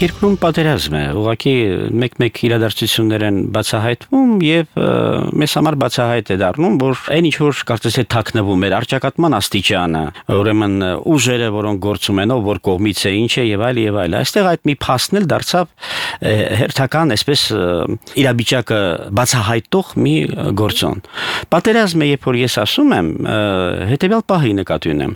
Երկրում պատերազմ է, ուղղակի մեկ-մեկ իրադարձություններ են բացահայտվում եւ մեզ համար բացահայտ է դառնում, որ այն ինչ որ կարծես թե թաքնվում էր արճակատման աստիճանը, ուրեմն ուժերը, որոնք գործում են, ով որ կողմից է, ինչ է եւ այլ եւ այլ։ Այստեղ այդ մի փաստն էլ դարձավ հերթական, այսպես իրավիճակը բացահայտող մի գործոն։ Պատերազմը, երբ որ ես ասում եմ, հետեւյալ պահի նկատի ունեմ։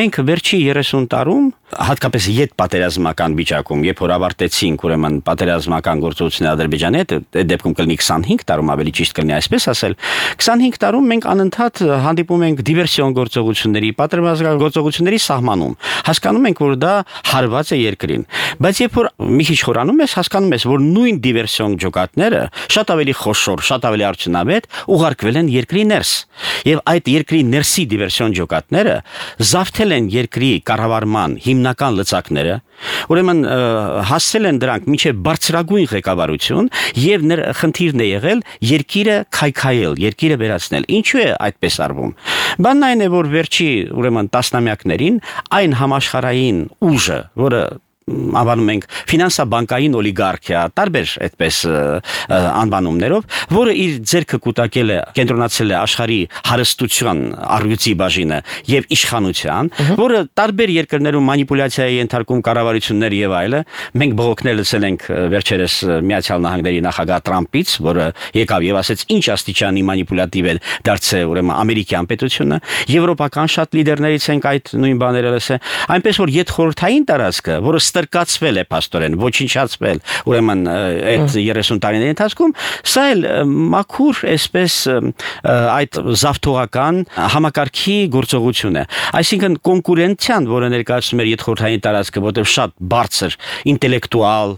Մենք վերջի 30 տարում, հատկապես յետ պատերազմական վիճակում, երբ որ ավարտեցինք ուրեմն պատերազմական գործողությունները Ադրբեջանի հետ, այդ դեպքում կլինի 25 տարում, ավելի ճիշտ կլինի այսպես ասել, 25 տարում մենք անընդհատ հանդիպում ենք դիվերսիոն գործողությունների, պատերազմական գործողությունների սահմանում։ Հասկանում ենք, որ դա հարված է երկրին։ Բայց երբ որ մի քիչ խորանում ես, հասկանում ես, որ նույն դիվերսիոն ջոկատները շատ ավելի խոշոր, շատ ավելի արդյունավետ ուղարկվել են երկրի ներս։ Եվ այդ երկրի ներսի դիվերսիոն ջոկատները զավթել են երկրի կառավարման հիմնական լծակները, ուրեմն հասցրել են դրանք մինչև բարձրագույն ղեկավարություն եւ խնդիրն է եղել երկիրը քայքայել, երկիրը վերացնել։ Ինչու է այդպես արվում։ Բանն այն է, որ վերջի ուրեմն տասնամյակներին այն համաշխարհային ուժը, որը անվանում ենք ֆինանսա-բանկային օլիգարխիա, տարբեր այդպես անվանումներով, որը իր ձեռքը կուտակել է, կենտրոնացել է աշխարհի հարստության առյուծի բաժինը եւ իշխանության, որը տարբեր երկրներում մանիպուլյացիայի ենթարկում կառավարություններ եւ այլը, մենք բողոքներ լսել ենք վերջերս Միացյալ Նահանգների նախագահ Թրամփից, որը եկավ եւ ասեց ինչ աստիճանի մանիպուլատիվ է դարձել ուրեմն ամերիկյան պետությունը, եվրոպական շատ լիդերներից ենք այդ նույն բաները լսել, այնպես որ յետ խորհրդային տարածքը, որը ստրկացվել է փաստորեն, ոչնչացվել, ուրեմն այդ 30 տարիների ընթացքում, սա էլ մաքուր այսպես այդ զավթողական համակարգի գործողություն է։ Այսինքն կոնկուրենցիան, որը ներկայացնում էր յետխորհրդային տարածքը, որտեղ շատ բարձր ինտելեկտուալ,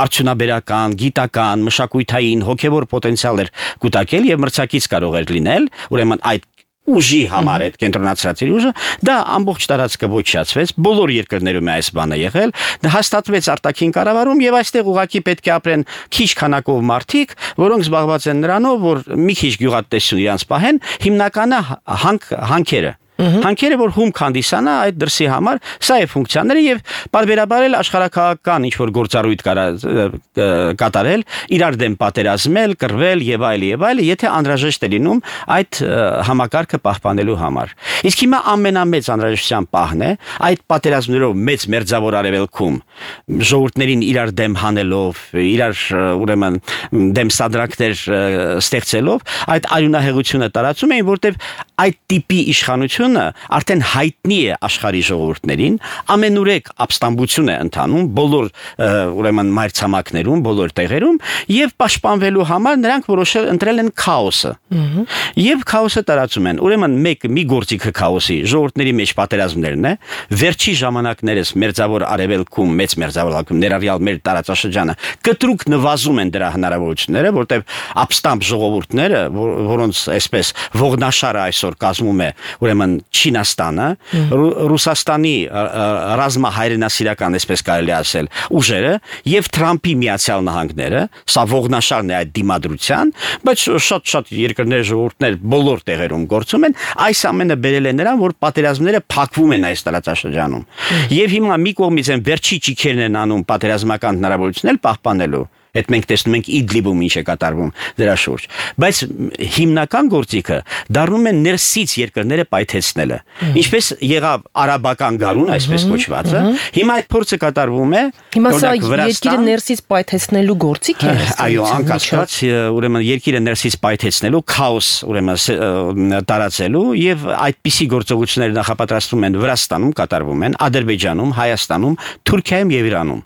արդյունաբերական, գիտական, մշակութային, հոգևոր պոտենցիալ էր կուտակել եւ մրցակից կարող էր լինել, ուրեմն այդ ուժի համար այդ կենտրոնացած ուժը, դա ամբողջ տարածքը ոչնչացվեց, բոլոր երկրներում է այս բանը եղել, դա հաստատվեց արտաքին կառավարում եւ այստեղ ուղղակի պետք է ապրեն քիչ քանակով մարդիկ, որոնք զբաղված են նրանով, որ մի քիչ գյուղատնտեսություն իրանց պահեն, հիմնականը հանքերը Հանքերը, որ հումք հանդիսանա այդ դրսի համար, սա է ֆունկցիաները եւ բարբերաբար էլ աշխարհակաղական ինչ որ գործառույթ կատարել, իրար դեմ պատերազմել, կռվել եւ այլ, եթե անհրաժեշտ է լինում այդ համակարգը պահպանելու համար։ Իսկ հիմա ամենամեծ անհրաժեշտության պահն է այդ պատերազմներով մեծ մերձավոր արևելքում ժողովուրդներին իրար դեմ հանելով, իրար ուրեմն դեմ սադրանքներ ստեղծելով, այդ արյունահեղությունը տարածում էին, որտեղ այդ տիպի իշխանությունը արդեն հայտնի է աշխարհի ժողովուրդներին, ամենուրեք ապստամբություն է ընթանում բոլոր ուրեմն մայրցամաքներում, բոլոր տեղերում եւ պաշտպանվելու համար նրանք ընտրել են քաոսը։ Եվ քաոսը տարածում են։ Ուրեմն մի գործիքը քաոսի ժողովուրդների մեջ պատերազմներն է, վերջի ժամանակներս մերձավոր արևելքում, մեծ մերձավոր արևելքում ներառյալ մեր տարածաշրջանը կտրուկ նվազում են դրա հնարավորությունները, որտեղ ապստամբ ժողովուրդները, որոնց այսպես ողնաշարը այսօր կազմում է ուրեմն Չինաստանը, Ռուսաստանի ռազմահայրենասիրական, այսպես կարելի ասել, ուժերը եւ Թրամփի Միացյալ Նահանգները, սա ողնաշարն է այդ դիմադրության, բայց շատ երկրներ, ժողովուրդներ բոլոր տեղերում գործում են, այս ամենը բերել է նրան, որ պատերազմները փակվում են այս տարածաշրջանում։ Եվ հիմա մի կողմից են վերջի ճիքերն են անում պատերազմական հնարավորություններ պահպանելու։ Այդ մենք տեսնում ենք Իդլիբում ինչ է կատարվում դրա շուրջ, բայց հիմնական գործիքը դառնում է ներսից երկրները պայթեցնելը, ինչպես եղավ արաբական գարուն, այսպես կոչվածը, հիմա այդ փորձը կատարվում է, հիմա սա երկիրը ներսից պայթեցնելու գործիք է։ Այո, անկասկած, ուրեմն երկիրը ներսից պայթեցնելու, քաոս ուրեմն տարածելու եւ այդպիսի գործողությունները նախապատրաստվում են Վրաստանում կատարվում են, Ադրբեջանում, Հայաստանում, Թուրքիայում եւ Իրանում։